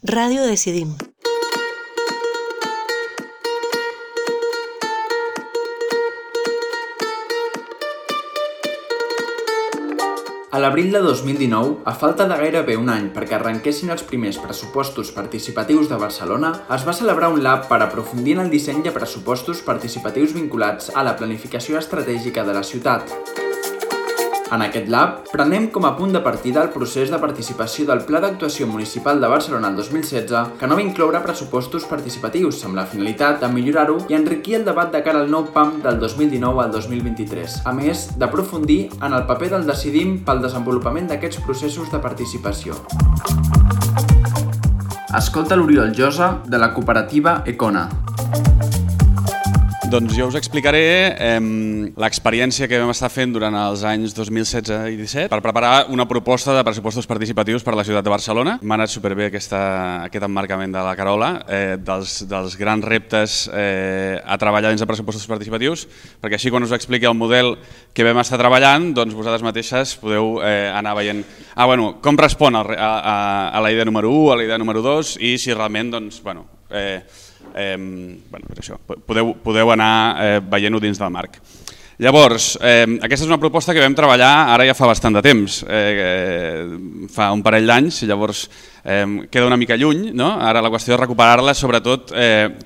Ràdio Decidim. A l'abril de 2019, a falta de gairebé un any perquè arrenquessin els primers pressupostos participatius de Barcelona, es va celebrar un lab per aprofundir en el disseny de pressupostos participatius vinculats a la planificació estratègica de la ciutat. En aquest lab, prenem com a punt de partida el procés de participació del Pla d'Actuació Municipal de Barcelona el 2016, que no va incloure pressupostos participatius amb la finalitat de millorar-ho i enriquir el debat de cara al nou PAM del 2019 al 2023, a més d'aprofundir en el paper del Decidim pel desenvolupament d'aquests processos de participació. Escolta l'Oriol Josa, de la cooperativa Econa. Doncs jo us explicaré l'experiència que vam estar fent durant els anys 2016 i 2017 per preparar una proposta de pressupostos participatius per a la ciutat de Barcelona. M'ha anat superbé aquest emmarcament de la Carola, dels grans reptes a treballar dins de pressupostos participatius, perquè així quan us expliqui el model que vam estar treballant, doncs vosaltres mateixes podeu anar veient com respon a la idea número 1, a la idea número 2 i si realment podeu anar veient-ho dins del marc. Llavors, aquesta és una proposta que vam treballar ara ja fa bastant de temps, fa un parell d'anys, llavors queda una mica lluny, no? Ara la qüestió és recuperar-la sobretot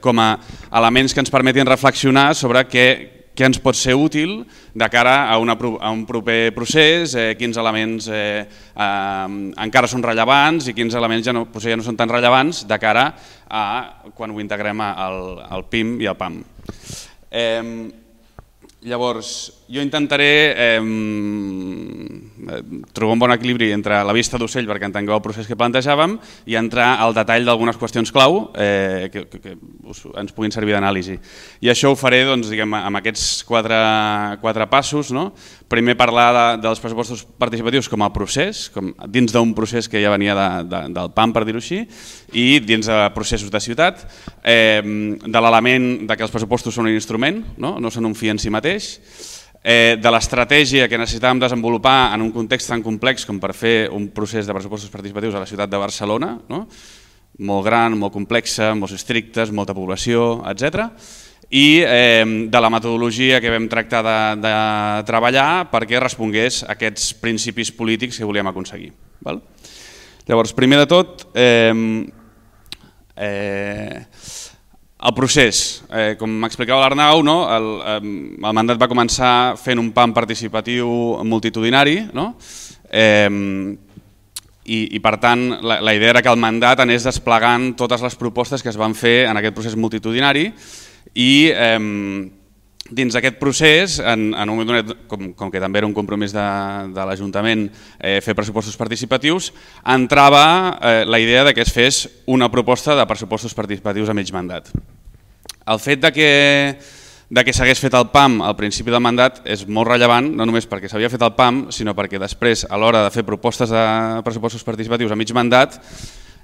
com a elements que ens permetin reflexionar sobre què ens pot ser útil de cara a un proper procés, quins elements encara són rellevants i quins elements ja no són tan rellevants de cara a quan ho integrem al PIM i al PAM. Llavors, jo intentaré trobar un bon equilibri entre la vista d'ocell perquè entengueu el procés que plantejàvem i entrar al detall d'algunes qüestions clau que ens puguin servir d'anàlisi. I això ho faré amb aquests quatre passos. Primer parlar dels pressupostos participatius com a procés, dins d'un procés que ja venia del PAM, per dir-ho així, i dins de processos de ciutat, de l'element que els pressupostos són un instrument, no són un fi en si mateix, de l'estratègia que necessitàvem desenvolupar en un context tan complex com per fer un procés de pressupostos participatius a la ciutat de Barcelona, molt gran, molt complexa, molts districtes, molta població, etc. I de la metodologia que vam tractar de treballar perquè respongués a aquests principis polítics que volíem aconseguir. Llavors, primer de tot, el procés, com m'explicava l'Arnau, el mandat va començar fent un PAM participatiu multitudinari i per tant la idea era que el mandat anés desplegant totes les propostes que es van fer en aquest procés multitudinari i dins d'aquest procés, en un moment donat, com que també era un compromís de l'Ajuntament fer pressupostos participatius, entrava la idea que es fes una proposta de pressupostos participatius a mig mandat. El fet que s'hagués fet el PAM al principi del mandat és molt rellevant, no només perquè s'havia fet el PAM, sinó perquè després, a l'hora de fer propostes de pressupostos participatius a mig mandat,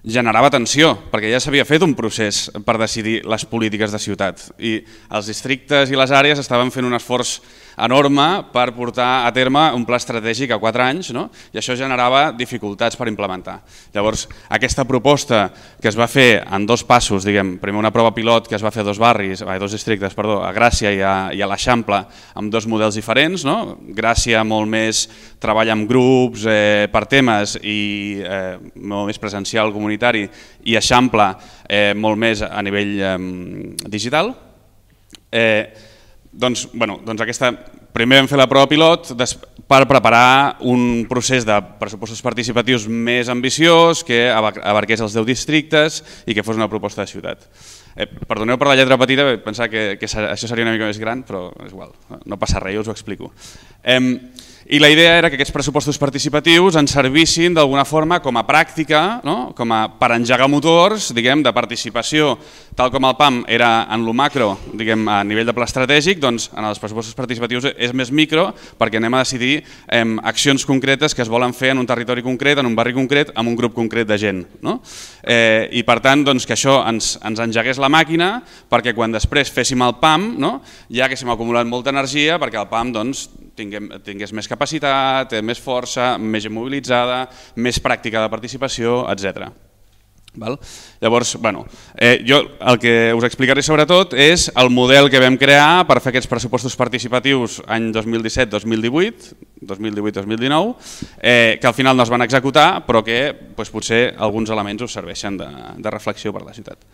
generava tensió, perquè ja s'havia fet un procés per decidir les polítiques de ciutat i els districtes i les àrees estaven fent un esforç enorme per portar a terme un pla estratègic a 4 anys i això generava dificultats per implementar. Llavors, aquesta proposta que es va fer en 2 passos, primer una prova pilot que es va fer a 2 districtes, a Gràcia i a l'Eixample, amb 2 models diferents. Gràcia molt més treballa amb grups per temes i molt més presencial, comunitari, i Eixample molt més a nivell digital. Doncs primer vam fer la prova pilot per preparar un procés de pressupostos participatius més ambiciós que abarqués els 10 districtes i que fos una proposta de ciutat. Perdoneu per la lletra petita, pensava que això seria una mica més gran, però és igual, no passa res, jo us ho explico. I la idea era que aquests pressupostos participatius ens servissin d'alguna forma com a pràctica, per engegar motors de participació, tal com el PAM era en lo macro, a nivell de pla estratègic, doncs en els pressupostos participatius és més micro perquè anem a decidir accions concretes que es volen fer en un territori concret, en un barri concret, amb un grup concret de gent. I per tant que això ens engegués la màquina perquè quan després féssim el PAM ja haguéssim acumulat molta energia perquè el PAM tingués més capacitat, més força, més mobilitzada, més pràctica de participació, etc. Llavors, jo el que us explicaré sobretot és el model que vam crear per fer aquests pressupostos participatius any 2017-2018, 2018-2019, que al final no es van executar, però que potser alguns elements us serveixen de reflexió per la ciutat.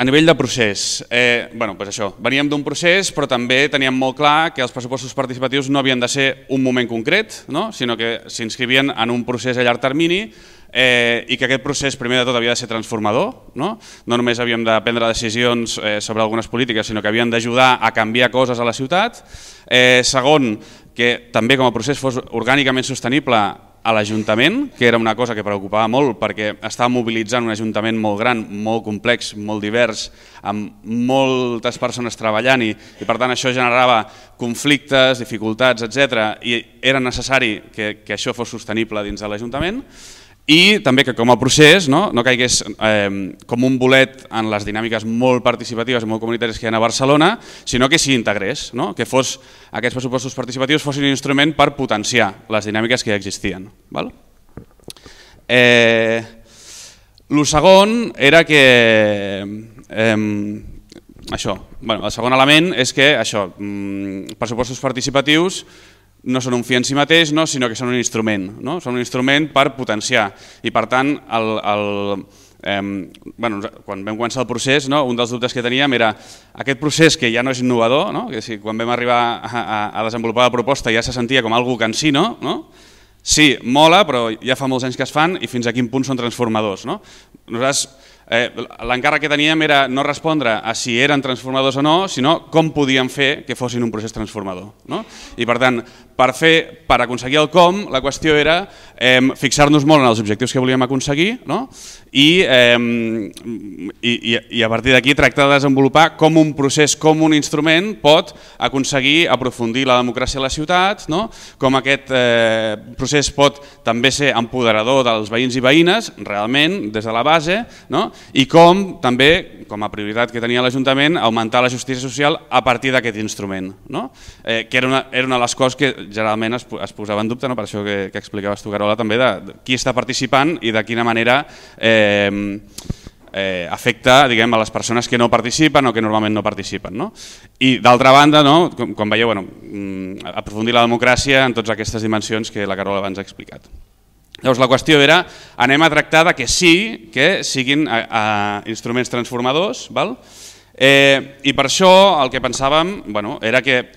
A nivell de procés, veníem d'un procés, però també teníem molt clar que els pressupostos participatius no havien de ser un moment concret, sinó que s'inscrivien en un procés a llarg termini i que aquest procés primer de tot havia de ser transformador, no només havíem de prendre decisions sobre algunes polítiques, sinó que havien d'ajudar a canviar coses a la ciutat. Segon, que també com a procés fos orgànicament sostenible a l'Ajuntament, que era una cosa que preocupava molt perquè estava mobilitzant un Ajuntament molt gran, molt complex, molt divers, amb moltes persones treballant i per tant això generava conflictes, dificultats, etc. I era necessari que això fos sostenible dins de l'Ajuntament i també que com a procés no caigués com un bolet en les dinàmiques molt participatives i molt comunitàries que hi ha a Barcelona, sinó que s'hi integrés, que aquests pressupostos participatius fossin un instrument per potenciar les dinàmiques que ja existien. El segon era que el segon element és que pressupostos participatius no són un fi en si mateix, sinó que són un instrument. Són un instrument per potenciar i per tant quan vam començar el procés un dels dubtes que teníem era aquest procés que ja no és innovador, quan vam arribar a desenvolupar la proposta ja se sentia com algo cansino, sí, mola, però ja fa molts anys que es fan i fins a quin punt són transformadors. Nosaltres l'encàrrec que teníem era no respondre a si eren transformadors o no, sinó com podíem fer que fossin un procés transformador. I per tant, per aconseguir el com, la qüestió era fixar-nos molt en els objectius que volíem aconseguir i a partir d'aquí tractar de desenvolupar com un procés, com un instrument pot aconseguir aprofundir la democràcia a la ciutat, com aquest procés pot també ser empoderador dels veïns i veïnes, realment, des de la base, i com també, com a prioritat que tenia l'Ajuntament, augmentar la justícia social a partir d'aquest instrument, que era una de les coses que generalment es posava en dubte, per això que explicaves tu, Carola, també de qui està participant i de quina manera afecta a les persones que no participen o que normalment no participen. I d'altra banda, com veieu, aprofundir la democràcia en totes aquestes dimensions que la Carola abans ha explicat. Llavors la qüestió era, anem a tractar que sí, que siguin instruments transformadors, i per això el que pensàvem era que,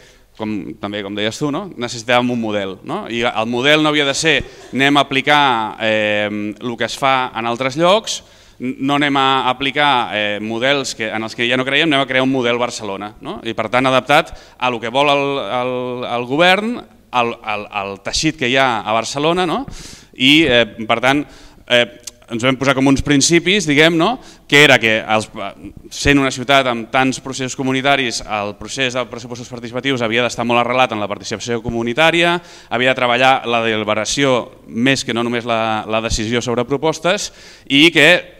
també com deies tu, necessitàvem un model. I el model no havia de ser anem a aplicar el que es fa en altres llocs, no anem a aplicar models en els que ja no creiem, anem a crear un model Barcelona. I per tant adaptat a el que vol el govern, al teixit que hi ha a Barcelona, i per tant ens vam posar com uns principis, que era que sent una ciutat amb tants processos comunitaris, el procés de pressupostos participatius havia d'estar molt arrelat en la participació comunitària, havia de treballar la deliberació més que no només la decisió sobre propostes i que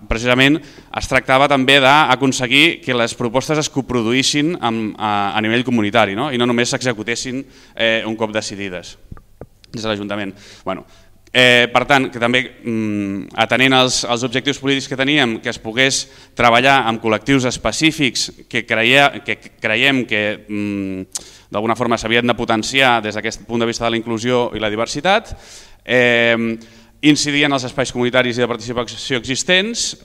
precisament es tractava també d'aconseguir que les propostes es coproduïssin a nivell comunitari i no només s'executessin un cop decidides des de l'Ajuntament. Per tant, que també atenent als objectius polítics que teníem, que es pogués treballar amb col·lectius específics que creiem que d'alguna forma s'havien de potenciar des d'aquest punt de vista de la inclusió i la diversitat, incidir en els espais comunitaris i de participació existents,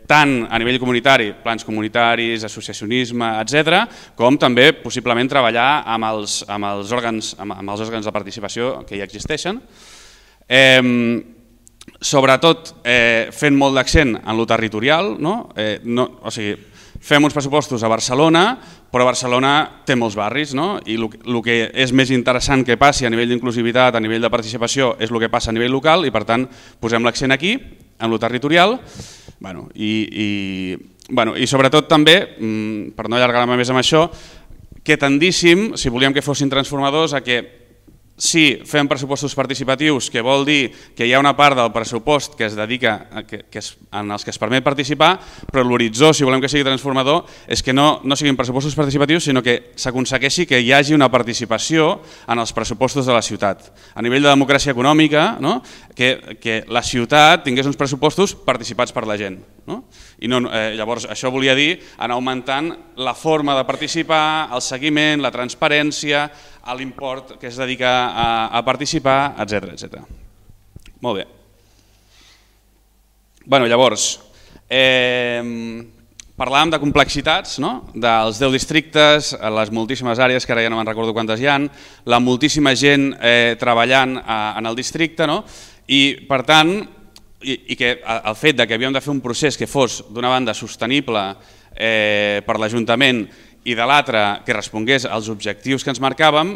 tant a nivell comunitari, plans comunitaris, associacionisme, etc., com també possiblement treballar amb els òrgans de participació que ja existeixen. Sobretot fent molt d'accent en lo territorial, o sigui, fem uns pressupostos a Barcelona, però Barcelona té molts barris i el que és més interessant que passi a nivell d'inclusivitat, a nivell de participació, és el que passa a nivell local i per tant posem l'accent aquí, en lo territorial, i sobretot també, per no allargar-me més amb això, que tendíssim, si volíem que fossin transformadors, a que Sí, fem pressupostos participatius, que vol dir que hi ha una part del pressupost que es dedica en els que es permet participar, però l'horitzó, si volem que sigui transformador, és que no siguin pressupostos participatius, sinó que s'aconsegueixi que hi hagi una participació en els pressupostos de la ciutat. A nivell de democràcia econòmica, que la ciutat tingués uns pressupostos participats per la gent. Llavors, això volia dir anar augmentant la forma de participar, el seguiment, la transparència, l'import que es dedica a participar, etc. Molt bé. Llavors, parlàvem de complexitats, dels 10 districtes, les moltíssimes àrees, que ara ja no me'n recordo quantes hi ha, la moltíssima gent treballant en el districte, i per tant, i que el fet que havíem de fer un procés que fos d'una banda sostenible per l'Ajuntament i de l'altra que respongués als objectius que ens marcàvem,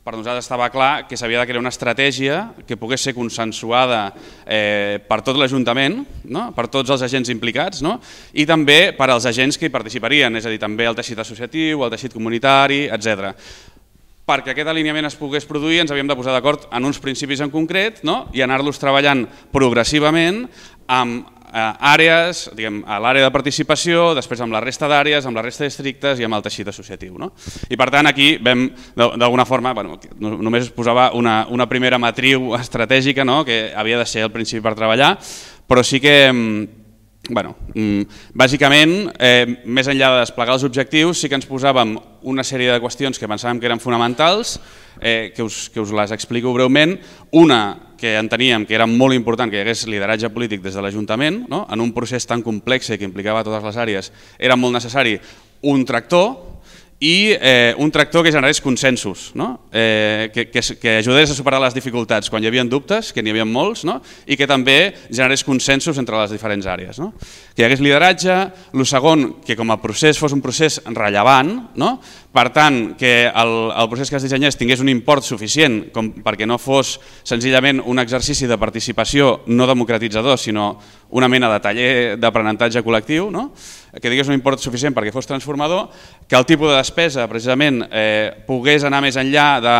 per nosaltres estava clar que s'havia de crear una estratègia que pogués ser consensuada per tot l'Ajuntament, per tots els agents implicats, i també per als agents que hi participarien, és a dir, també el teixit associatiu, el teixit comunitari, etc. Perquè aquest alineament es pogués produir ens havíem de posar d'acord en uns principis en concret i anar-los treballant progressivament amb àrees, a l'àrea de participació, després amb la resta d'àrees, amb la resta de districtes i amb el teixit associatiu. I per tant aquí vam, d'alguna forma, només es posava una primera matriu estratègica que havia de ser el principi per treballar, però sí que, bàsicament, més enllà de desplegar els objectius, sí que ens posàvem una sèrie de qüestions que pensàvem que eren fonamentals, que us les explico breument. Una que enteníem que era molt important que hi hagués lideratge polític des de l'Ajuntament, en un procés tan complex que implicava totes les àrees, era molt necessari un tractor, i un tractor que generés consensos, que ajudés a superar les dificultats quan hi havia dubtes, que n'hi havia molts, i que també generés consensos entre les diferents àrees. Que hi hagués lideratge, el segon, que com a procés fos un procés rellevant, per tant, que el procés que es dissenyés tingués un import suficient perquè no fos senzillament un exercici de participació no democratitzador, sinó una mena de taller d'aprenentatge col·lectiu, que tingués un import suficient perquè fos transformador, que el tipus de despesa precisament pogués anar més enllà de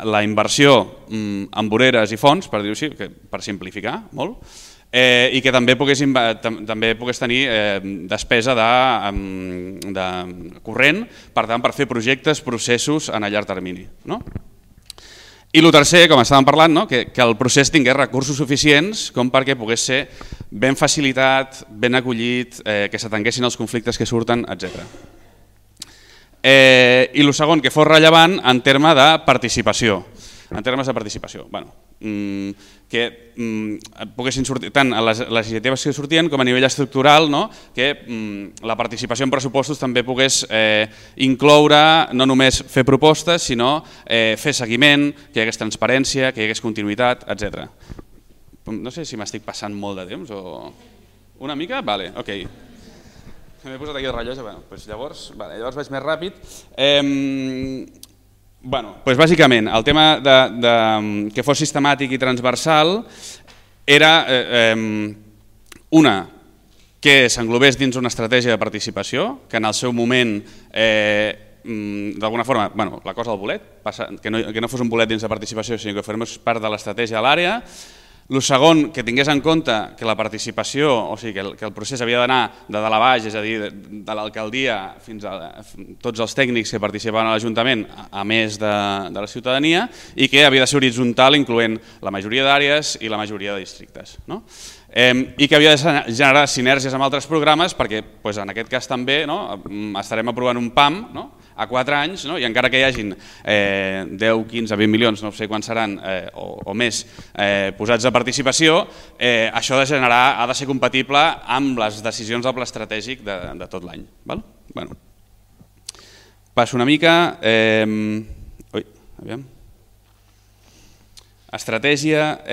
la inversió en voreres i fons, per dir-ho així, per simplificar molt, i que també pogués tenir despesa de corrent, per tant, per fer projectes, processos en a llarg termini. I el tercer, com estàvem parlant, que el procés tingués recursos suficients com perquè pogués ser ben facilitat, ben acollit, que s'atenguessin els conflictes que surten, etc. I el segon, que fos rellevant en termes de participació. Que poguessin sortir tant a les iniciatives que sortien com a nivell estructural, que la participació en pressupostos també pogués incloure no només fer propostes, sinó fer seguiment, que hi hagués transparència, que hi hagués continuïtat, etc. No sé si m'estic passant molt de temps o... Una mica? Vale, ok. M'he posat aquí el rellotge, llavors vaig més ràpid. Bàsicament, el tema que fos sistemàtic i transversal era una, que s'englobés dins una estratègia de participació, que en el seu moment, d'alguna forma, la cosa del bolet, que no fos un bolet dins de participació, sinó que formés part de l'estratègia a l'àrea. El segon, que tingués en compte que la participació, o sigui, que el procés havia d'anar de dalt a baix, és a dir, de l'alcaldia fins a tots els tècnics que participaven a l'Ajuntament, a més de la ciutadania, i que havia de ser horitzontal, incloent la majoria d'àrees i la majoria de districtes. I que havia de generar sinergies amb altres programes, perquè en aquest cas també estarem aprovant un PAM a 4 anys, i encara que hi hagin 10, 15, 20 milions, no sé quants seran, o més, posats a participació, això ha de ser compatible amb les decisions del pla estratègic de tot l'any. Passo una mica... Estratègia,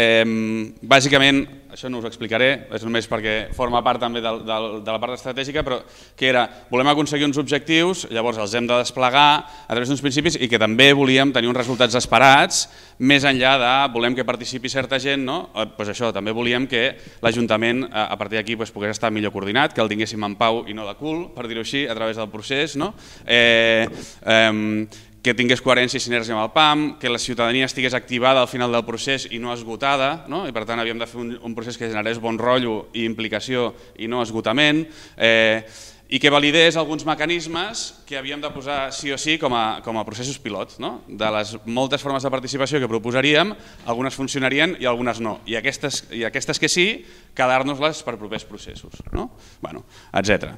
bàsicament, això no us ho explicaré, és només perquè forma part també de la part estratègica, però que era, volem aconseguir uns objectius, llavors els hem de desplegar a través d'uns principis i que també volíem tenir uns resultats esperats, més enllà de volem que participi certa gent, doncs això, també volíem que l'Ajuntament a partir d'aquí pogués estar millor coordinat, que el tinguéssim en pau i no de cul, per dir-ho així, a través del procés, que tingués coherència i sinergia amb el PAM, que la ciutadania estigués activada al final del procés i no esgotada, i per tant havíem de fer un procés que generés bon rotllo i implicació i no esgotament, i que validés alguns mecanismes que havíem de posar sí o sí com a processos pilot. De les moltes formes de participació que proposaríem, algunes funcionarien i algunes no, i aquestes que sí, quedar-nos-les per propers processos, etc.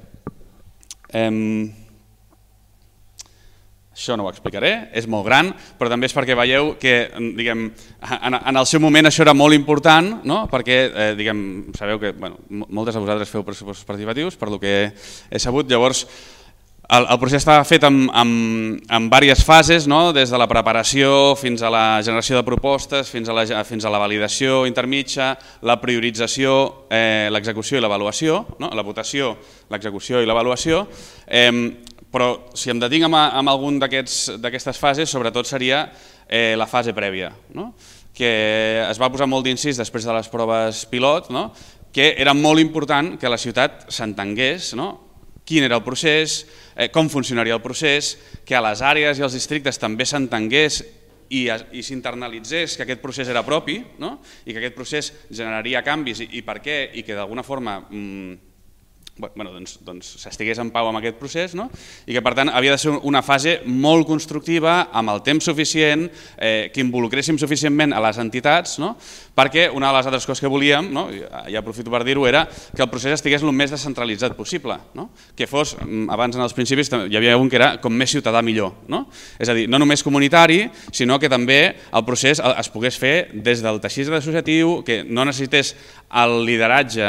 Això no ho explicaré, és molt gran, però també és perquè veieu que en el seu moment això era molt important, perquè sabeu que moltes de vosaltres feu pressupostos participatius, per lo que he sabut. Llavors, el procés estava fet en diverses fases, des de la preparació fins a la generació de propostes, fins a la validació intermitja, la priorització, l'execució i l'avaluació, la votació, l'execució i l'avaluació. Però si em detinc en algun d'aquestes fases, sobretot seria la fase prèvia, que es va posar molt d'incís després de les proves pilot, que era molt important que la ciutat s'entengués quin era el procés, com funcionaria el procés, que a les àrees i als districtes també s'entengués i s'internalitzés que aquest procés era propi i que aquest procés generaria canvis i per què, i que d'alguna forma s'estigués en pau amb aquest procés i que per tant havia de ser una fase molt constructiva, amb el temps suficient, que involucréssim suficientment a les entitats, perquè una de les altres coses que volíem, i aprofito per dir-ho, era que el procés estigués el més descentralitzat possible, que fos, abans en els principis hi havia un que era com més ciutadà millor, és a dir, no només comunitari, sinó que també el procés es pogués fer des del teixit associatiu, que no necessités el lideratge,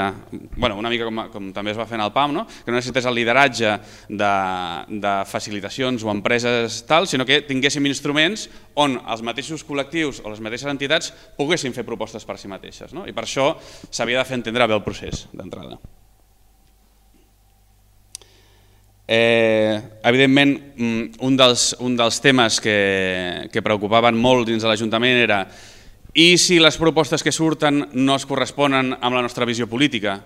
una mica com també es va fer en el PAM, que no necessités el lideratge de facilitacions o empreses tal, sinó que tinguéssim instruments on els mateixos col·lectius o les mateixes entitats poguessin fer propostes per si mateixes, i per això s'havia de fer entendre bé el procés d'entrada. Evidentment, un dels temes que preocupaven molt dins de l'Ajuntament era i si les propostes que surten no es corresponen amb la nostra visió política,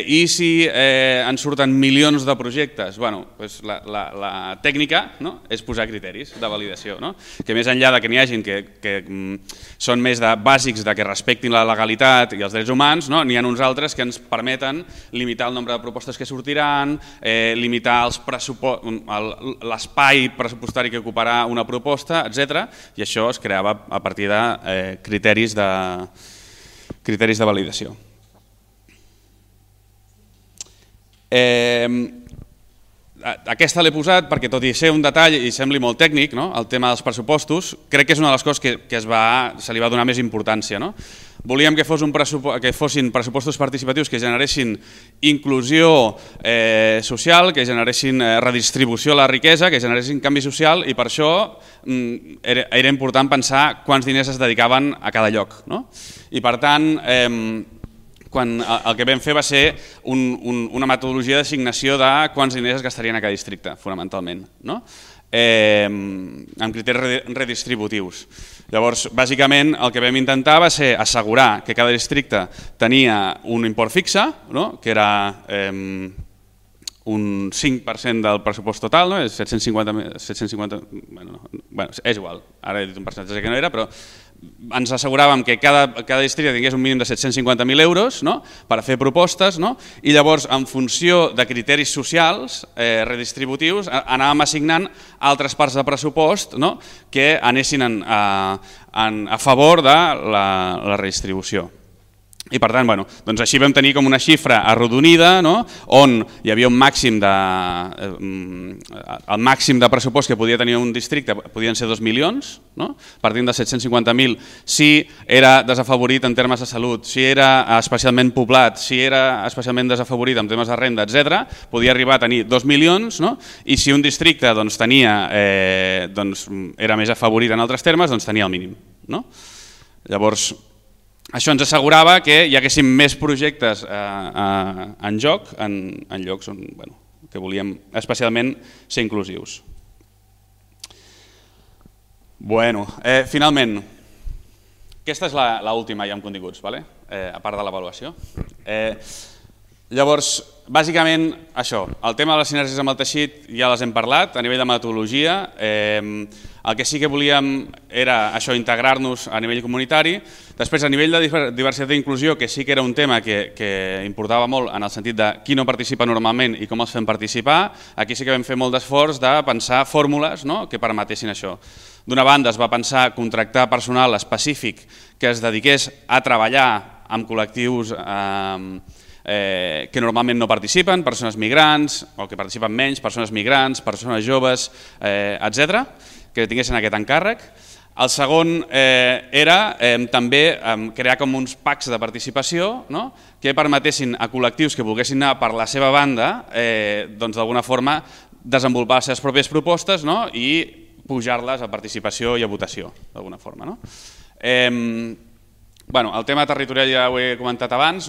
i si ens surten milions de projectes. La tècnica és posar criteris de validació, que més enllà que n'hi hagin que són més bàsics de que respectin la legalitat i els drets humans, n'hi ha uns altres que ens permeten limitar el nombre de propostes que sortiran, limitar l'espai pressupostari que ocuparà una proposta, etc. I això es creava a partir de criteris de validació. Aquesta l'he posat perquè, tot i ser un detall i sembli molt tècnic, el tema dels pressupostos, crec que és una de les coses que se li va donar més importància. Volíem que fossin pressupostos participatius que generessin inclusió social, que generessin redistribució de la riquesa, que generessin canvi social, i per això era important pensar quants diners es dedicaven a cada lloc. I per tant, el que vam fer va ser una metodologia d'assignació de quants diners es gastarien a cada districte, fonamentalment, amb criteris redistributius. Llavors, bàsicament, el que vam intentar va ser assegurar que cada districte tenia un import fixe, que era un 5% del pressupost total, és 750... És igual, ara he dit un percentatge que no era, però ens asseguràvem que cada districte tingués un mínim de 750.000 euros per fer propostes, i llavors, en funció de criteris socials redistributius, anàvem assignant altres parts de pressupost que anessin a favor de la redistribució. I per tant, doncs així vam tenir com una xifra arrodonida, on hi havia un màxim de pressupost que podia tenir un districte, podien ser 2 milions, partint de 750.000, si era desafavorit en termes de salut, si era especialment poblat, si era especialment desafavorit en temes de renda, etc., podia arribar a tenir 2 milions, i si un districte era més afavorit en altres termes, doncs tenia el mínim. Llavors, això ens assegurava que hi haguessin més projectes en joc en llocs que volíem especialment ser inclusius. Finalment, aquesta és l'última ja amb continguts, a part de l'avaluació. Llavors, bàsicament, això, el tema de les sinergies amb el teixit ja les hem parlat, a nivell de metodologia. El que sí que volíem era això, integrar-nos a nivell comunitari. Després, a nivell de diversitat i inclusió, que sí que era un tema que importava molt en el sentit de qui no participa normalment i com els fem participar, aquí sí que vam fer molt d'esforç de pensar fórmules que permetessin això. D'una banda, es va pensar contractar personal específic que es dediqués a treballar amb col·lectius que normalment no participen, persones migrants, o que participen menys, persones migrants, persones joves, etc., que tinguessin aquest encàrrec. El segon era també crear com uns packs de participació que permetessin a col·lectius que volguessin anar per la seva banda d'alguna forma desenvolupar les seves pròpies propostes i pujar-les a participació i a votació, d'alguna forma. El tema territorial ja ho he comentat abans,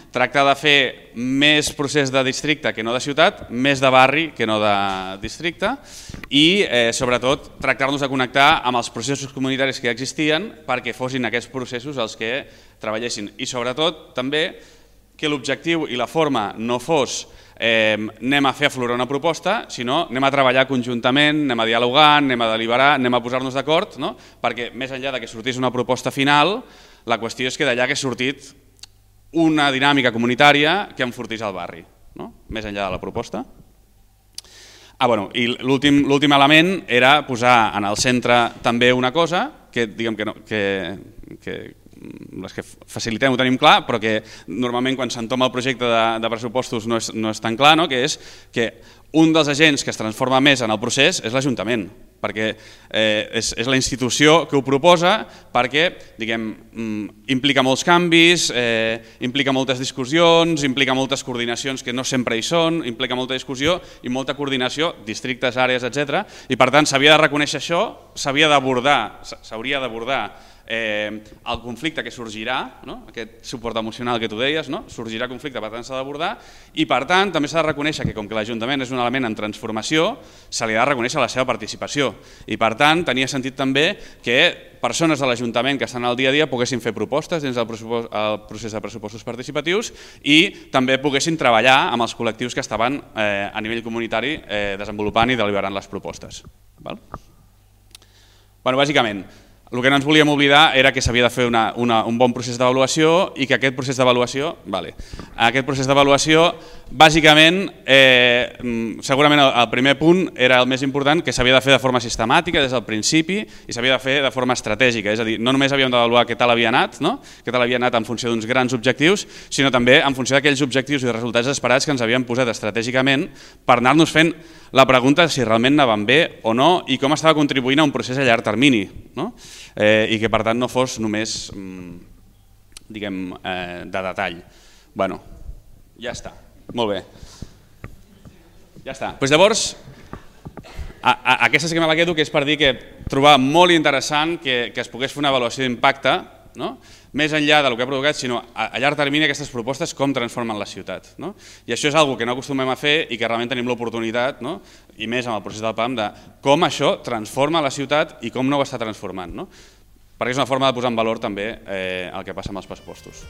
tractar de fer més procés de districte que no de ciutat, més de barri que no de districte i sobretot tractar-nos de connectar amb els processos comunitaris que ja existien perquè fossin aquests processos els que treballessin i sobretot també que l'objectiu i la forma no fos anem a fer aflorar una proposta, sinó anem a treballar conjuntament, anem a dialogar, anem a deliberar, anem a posar-nos d'acord, perquè més enllà de que sortís una proposta final, la qüestió és que d'allà hagués sortit una dinàmica comunitària que enfortís el barri, més enllà de la proposta. I l'últim element era posar en el centre també una cosa que diguem que les que facilitem ho tenim clar, però que normalment quan s'entoma el projecte de pressupostos no és tan clar, que és que un dels agents que es transforma més en el procés és l'Ajuntament, perquè és la institució que ho proposa, perquè implica molts canvis, implica moltes discussions, implica moltes coordinacions que no sempre hi són, implica molta discussió i molta coordinació, districtes, àrees, etc. I per tant s'havia de reconèixer això, s'hauria d'abordar el conflicte que sorgirà, aquest suport emocional que tu deies, sorgirà conflicte, per tant s'ha d'abordar i per tant també s'ha de reconèixer que com que l'Ajuntament és un element en transformació, se li ha de reconèixer la seva participació i per tant tenia sentit també que persones de l'Ajuntament que estan al dia a dia poguessin fer propostes dins del procés de pressupostos participatius i també poguessin treballar amb els col·lectius que estaven a nivell comunitari desenvolupant i deliberant les propostes. Bàsicament, el que no ens volíem oblidar era que s'havia de fer un bon procés d'avaluació i que aquest procés d'avaluació, bàsicament, segurament el primer punt era el més important, que s'havia de fer de forma sistemàtica des del principi i s'havia de fer de forma estratègica, és a dir, no només havíem d'avaluar què tal havia anat, en funció d'uns grans objectius, sinó també en funció d'aquells objectius i resultats esperats que ens havíem posat estratègicament per anar-nos fent la pregunta si realment anàvem bé o no i com estava contribuint a un procés a llarg termini i que per tant no fos només de detall. Ja està, molt bé. Ja està. Llavors, aquesta sí que me la quedo, que és per dir que trobar molt interessant que es pogués fer una avaluació d'impacte, més enllà del que ha provocat, sinó a llarg termini aquestes propostes com transformen la ciutat. I això és una que no acostumem a fer i que realment tenim l'oportunitat, i més amb el procés del PAM, de com això transforma la ciutat i com no ho està transformant. Perquè és una forma de posar en valor també el que passa amb els pressupostos.